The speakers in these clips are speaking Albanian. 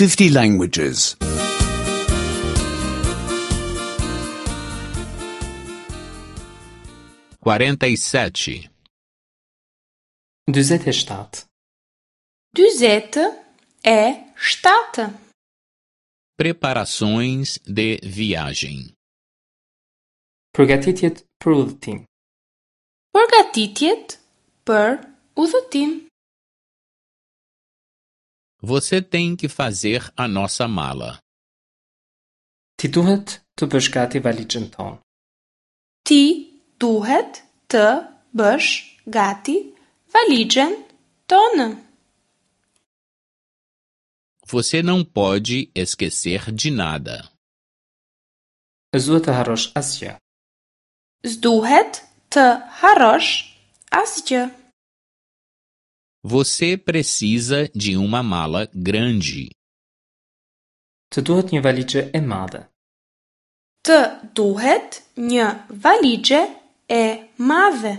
50 languages. 47. 47. 47. Preparações de viagem. Përgatitjet për udhëtim. Përgatitjet për udhëtim. Você tem que fazer a nossa mala. Ti duhet të bësh gati valixhen tonë. Ti duhet të bësh gati valixhen tonë. Você não pode esquecer de nada. S'duhet të harrosh asgjë. S'duhet të harrosh asgjë. Você precisa de uma mala grande. Të duhet një valixhe e madhe. Të duhet një valixhe e madhe.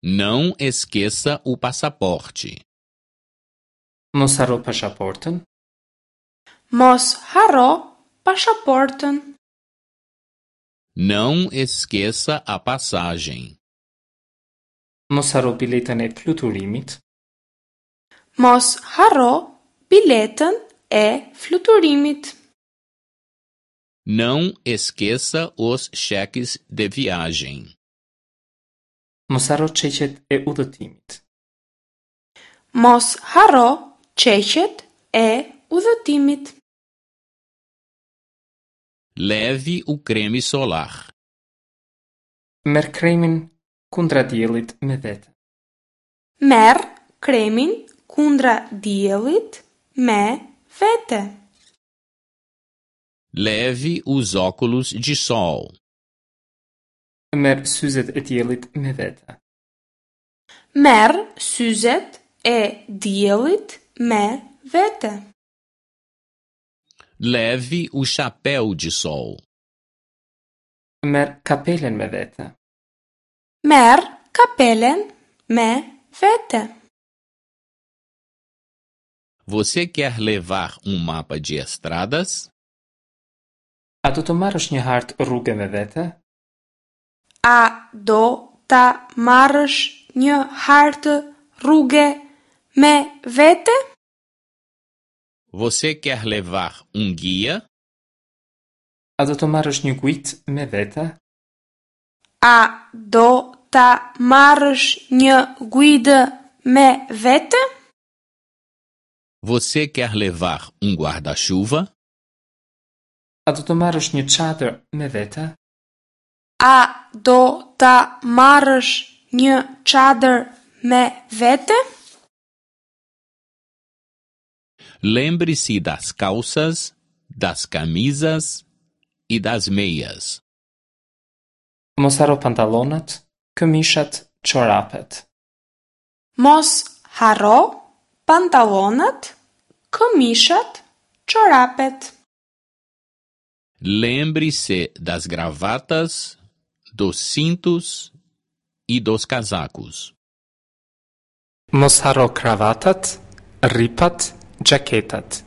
Não esqueça o passaporte. Mos harro pasaportën. Mos harro pasaportën. Não esqueça a passagem. Mos harro biletën e fluturimit. Mos harro biletën e fluturimit. Não esqueça os cheques de viagem. Mos harro çeqet e udhëtimit. Mos harro çeqet e udhëtimit. Leve o creme solar. Merr kremin kundra diellit me vete. Merr kremin kundra diellit me vete. Leve os óculos de sol. Merr syzet e diellit me vete. Merr syzet e diellit me vete. Leve o chapéu de sol. Merr kapelen me vete. Merr kapelen me vete. Você quer levar um mapa de estradas? A do të marrësh një hartë rruge me vete? A do ta marrësh një hartë rruge me vete? Você quer levar um guia? A do të marrësh një guidë me vete? A do ta marrësh një guidë me vete? Você quer levar um guarda-chuva? A do të marrësh një çadër me vete? A do ta marrësh një çadër me vete? Lembre-se das calças, das camisas e das meias. Mos harro pantallonat, këmishat, çorapet. Mos harro pantallonat, këmishat, çorapet. Lembre-se das gravatas, dos cintos e dos casacos. Mos harro kravatat, rripat, xhaketat.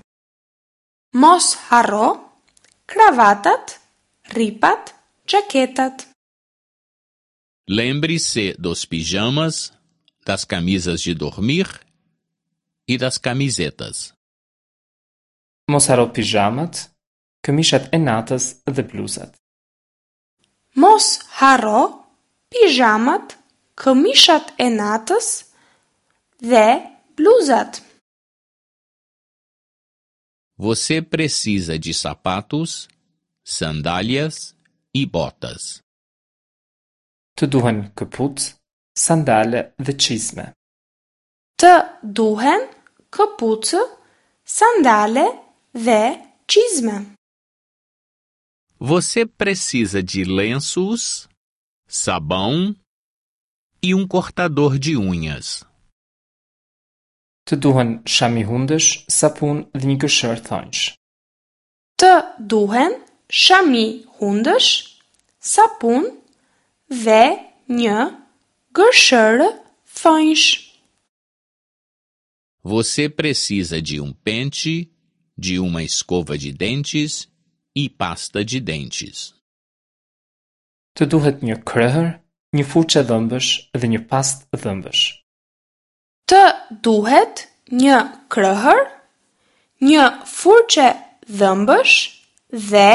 Mos harro kravatat, rripat, xhaketat. Lembre-se dos pijamas, das camisas de dormir e das camisetas. Mos harro pizhamat, këmishat e natës dhe bluzat. Mos harro pizhamat, këmishat e natës dhe bluzat. Você precisa de sapatos, sandálias e botas. Të duhen këpucë, sandale dhe çizme. Të duhen këpucë, sandale dhe çizme. Você precisa de lenços, sabão e um cortador de unhas. Të duhen shami hundësh, sapun dhe një gërshërë thonjsh. Të duhen shami hundësh, sapun dhe një gërshërë thonjsh. Você precisa de um pente, de uma escova de dentes e pasta de dentes. Të duhet një krehër, një furçe dhëmbësh dhe një pastë dhëmbësh. Të duhet një krehër, një furçe dhëmbësh dhe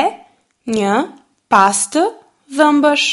një pastë dhëmbësh.